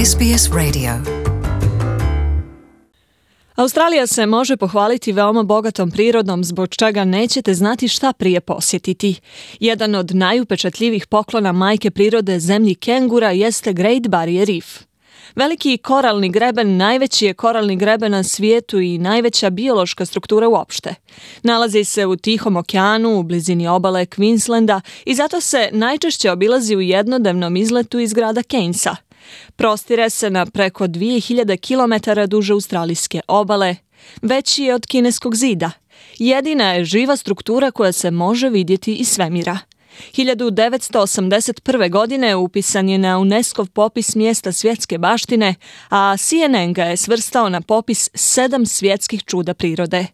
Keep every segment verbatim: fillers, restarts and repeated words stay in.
S B S Radio. Australija se može pohvaliti veoma bogatom prirodom, zbog čega nećete znati šta prije posjetiti. Jedan od najupečatljivijih poklona majke prirode zemlji kengura jeste Great Barrier Reef. Veliki koralni greben najveći je koralni greben na svijetu i najveća biološka struktura uopšte. Nalazi se u Tihom okeanu, u blizini obale Queenslanda i zato se najčešće obilazi u jednodnevnom izletu iz grada Cairnsa. Prostire se na preko dvije hiljade kilometara duže australijske obale, veći je od kineskog zida. Jedina je živa struktura koja se može vidjeti iz svemira. hiljadu devetsto osamdeset prve. godine upisan je na UNESCO-v popis mjesta svjetske baštine, a C N N ga je svrstao na popis sedam svjetskih čuda prirode.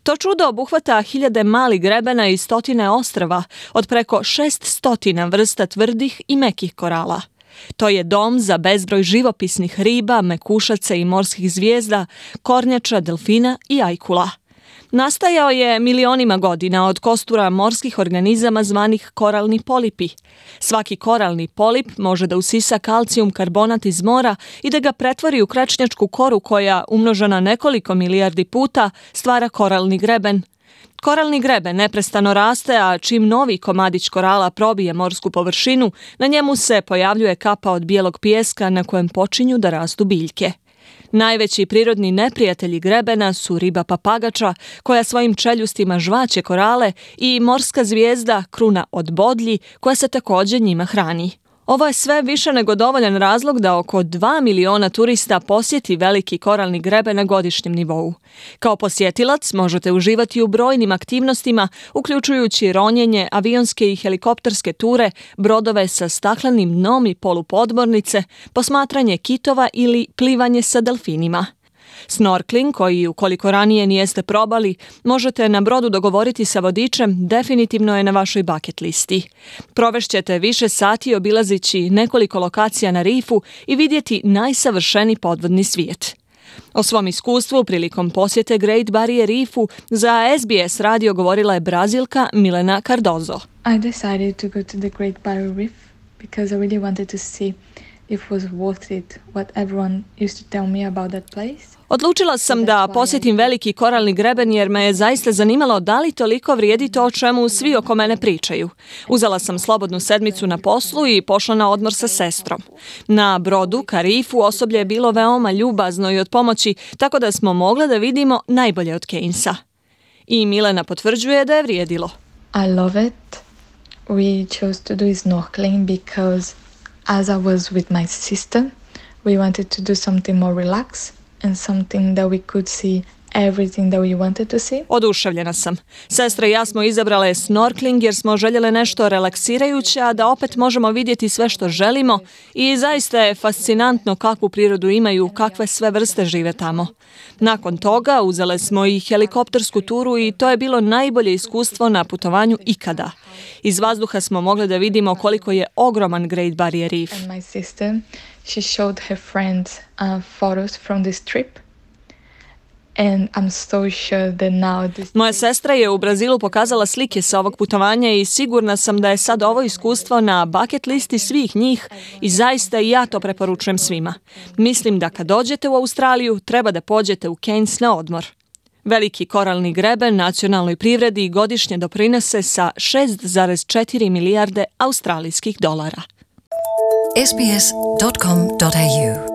To čudo obuhvata hiljade malih grebena i stotine ostrva od preko šest stotina vrsta tvrdih i mekih korala. To je dom za bezbroj živopisnih riba, mekušaca i morskih zvijezda, kornjača, delfina i ajkula. Nastajao je milionima godina od kostura morskih organizama zvanih koralni polipi. Svaki koralni polip može da usisa kalcijum karbonat iz mora i da ga pretvori u krečnjačku koru koja, umnožena nekoliko milijardi puta, stvara koralni greben. Koralni greben neprestano raste, a čim novi komadić korala probije morsku površinu, na njemu se pojavljuje kapa od bijelog pijeska na kojem počinju da rastu biljke. Najveći prirodni neprijatelji grebena su riba papagača, koja svojim čeljustima žvaće korale, i morska zvijezda kruna od bodlji, koja se također njima hrani. Ovo je sve više nego dovoljan razlog da oko dva miliona turista posjeti veliki koralni greben na godišnjem nivou. Kao posjetilac možete uživati u brojnim aktivnostima, uključujući ronjenje, avionske i helikopterske ture, brodove sa staklenim dnom i polupodmornice, posmatranje kitova ili plivanje sa delfinima. Snorkling, koji ukoliko ranije nijeste probali, možete na brodu dogovoriti sa vodičem, definitivno je na vašoj bucket listi. Provešćete više sati obilazići nekoliko lokacija na rifu i vidjeti najsavršeniji podvodni svijet. O svom iskustvu prilikom posjete Great Barrier Reefu za S B S radio govorila je Brazilka Milena Cardozo. I decided to go to the Great Barrier Reef because I really wanted to see if it was worth it what everyone used to tell me about that place. Odlučila sam da posjetim veliki koralni greben jer me je zaista zanimalo da li toliko vrijedi to o čemu svi oko mene pričaju. Uzela sam slobodnu sedmicu na poslu i pošla na odmor sa sestrom. Na brodu ka rifu osoblje je bilo veoma ljubazno i od pomoći, tako da smo mogli da vidimo najbolje od Cairnsa. I Milena potvrđuje da je vrijedilo. I love it. We chose to do snorkeling because as I was with my sister, we wanted to do something more relaxed and something that we could see everything that we wanted to see. Oduševljena sam. Sestra i ja smo izabrale snorkeling jer smo željele nešto relaksirajuće, a da opet možemo vidjeti sve što želimo, i zaista je fascinantno kakvu prirodu imaju, kakve sve vrste žive tamo. Nakon toga uzele smo i helikoptersku turu i to je bilo najbolje iskustvo na putovanju ikada. Iz vazduha smo mogli da vidimo koliko je ogroman Great Barrier Reef. And my sister, she showed her friends uh, photos from this trip. And I'm so sure that now this... Moja sestra je u Brazilu pokazala slike sa ovog putovanja i sigurna sam da je sad ovo iskustvo na bucket listi svih njih i zaista i ja to preporučujem svima. Mislim da kad dođete u Australiju treba da pođete u Cairns na odmor. Veliki koralni greben nacionalnoj privredi godišnje doprinose sa šest zarez četiri milijarde australijskih dolara. S B S dot com dot A U